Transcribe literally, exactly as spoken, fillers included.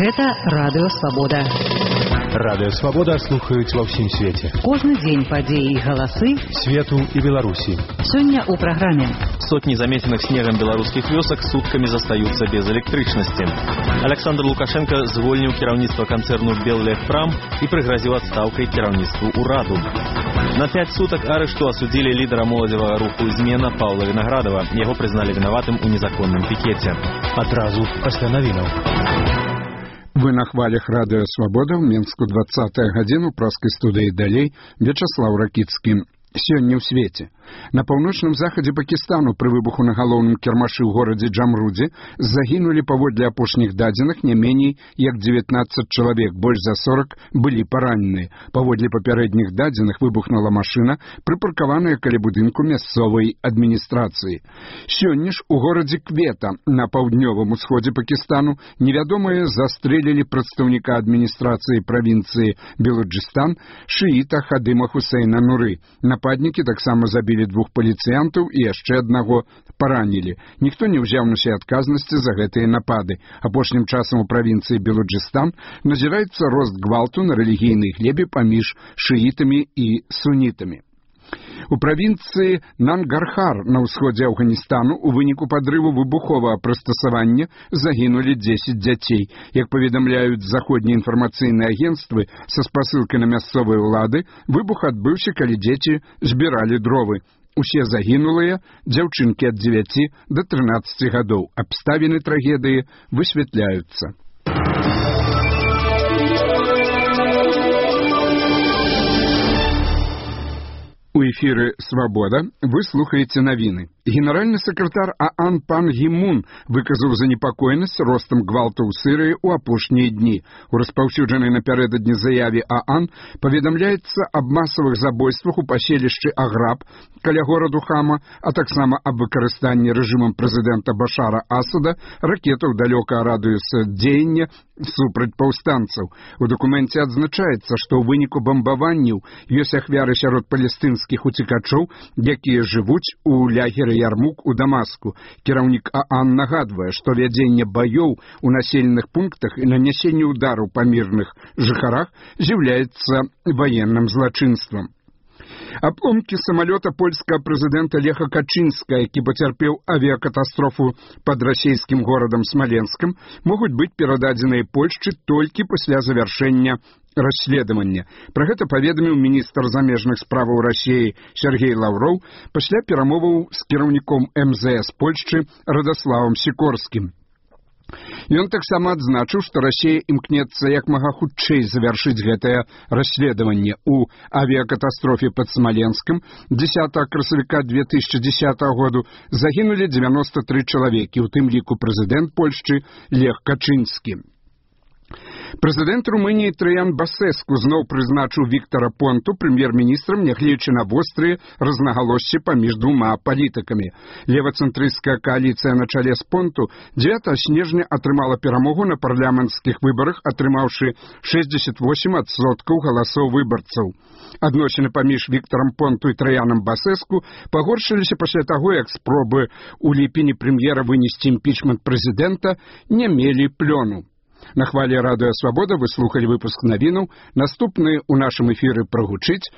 Гэта Радыё Свабода. Радыё Свабода слухаюць ва ўсім свеце. Кожны дзень падзеі і галасы свету і Беларусі. Сёння ў праграме. Сотни заметенных снегом белорусских вёсок сутками застаются без электричности. Александр Лукашенко звольнил кіраўніцтва концерну «Беллегпрам» и пригрозил отставкой кіраўніцтву «Ураду». На пять суток арешту осудили лидера молодевого руху «Измена» Павла Виноградова. Его признали виноватым у незаконном пикете. Адразу пасля навінаў. Вы на хвалях Радыё Свабода ў Менску двадцатая гадзіну праскай студыі далей Вячаслав Ракіцкі. Сёння ў свеце. На паўночным захадзе Пакістану пры выбуху на галоўным кірмашы ў горадзе Джамрудзе загінулі паводле апошніх дадзеных не меней як дзевятнаццаць чалавек, больш за сорак былі параненыя. Паводле папярэдніх дадзеных выбухнула машына, прыпаркаваная каля будынку мясцовай адміністрацыі. Сёння ж у горадзе Квета на паўднёвым усходзе Пакістану невядомыя застрэлілі прадстаўніка адміністрацыі правінцыі Белуджыстан шыіта Хадыма Хусейна Нуры. Нападнікі таксама забілі двух паліцыянтаў і яшчэ аднаго паранілі. Ніхто не ўзяў на сябе адказнасці за гэтыя напады. Апошнім часам у правінцыі Белуджыстан назіраецца рост гвалту на рэлігійнай глебе паміж шыітамі і сунітамі. У правінцыі Нангархар на ўсходзе Афганістану у выніку падрыву выбуховага прыстасавання загінулі дзесяць дзяцей. Як паведамляюць заходнія інфармацыйныя агенцтвы са спасылкай на мясцовыя ўлады, выбух адбыўся, калі дзеці збіралі дровы. Усе загінулыя дзяўчынкі ад дзевяці да трынаццаці гадоў. Абставіны трагедыі высвятляюцца. У эфіры «Свабода» вы слухаеце навіны. Генеральны сакратар ААН Пан Гі Мун выказаў занепакоенасць ростам гвалту ў Сірыі ў апошнія дні. У распаўсюджанай напярэдадні заяве ААН паведамляецца аб масавых забойствах у паселішчы Аграб каля гораду Хама, а таксама аб выкарыстанні рэжымам прэзідэнта Башара Асада ракетаў далёкага радыуса дзеяння супраць паўстанцаў. У дакуменце адзначаецца, што ў выніку бамбаванняў ёсць ахвяры сярод палестынскіх уцекачоў, якія жывуць у лагеры Ярмук у Дамаску. Кіраўнік ААН нагадвае, што вядзенне баёў у населеных пунктах і нанясенне удараў па мірных жыхарах з'яўляецца ваенным злачынствам. Абломкі самалёта польскага прэзідэнта Леха Качынска, які пацярпеў авіякатастрофу пад расійскім горадам Смаленскам, могуць быць перададзеныя Польшчы толькі пасля завяршэння расследавання. Пра гэта паведаміў міністр замежных справаў Расіі Сергей Лаўроў пасля перамоваў з кіраўніком эм зэ эс Польшчы Радаславам Сікорскім. Ён таксама адзначыў, што Расія імкнецца як мага хутчэй завяршыць гэтае расследаванне. У авіякатастрофе пад Смаленскам дзесятага красавіка две тысячы дзесятага году загінулі дзевяноста тры чалавекі, у тым ліку прэзідэнт Польшчы Лех Качынскі. Прэзідэнт Румыніі Траян Басэску зноў прызначыў Віктара Понту прэм'ер-міністрам, нягледзячы на вострыя рознагалоссі паміж двума палітыкамі. Левацэнтрысцкая кааліцыя на чале з Понту дзевятага снежня атрымала перамогу на парламенцкіх выбарах, атрымаўшы шэсцьдзесят восем адсоткаў галасоў выбарцаў. Адносіны паміж Віктарам Понту і Траянам Басэску пагоршыліся пасля таго, як спробы ў ліпені прэм'ера вынесці імпічмент прэзідэнта не мелі плёну. На хвале Радыё Свабода вы слухалі выпуск навінаў. Наступны ў нашым эфіры прагучыць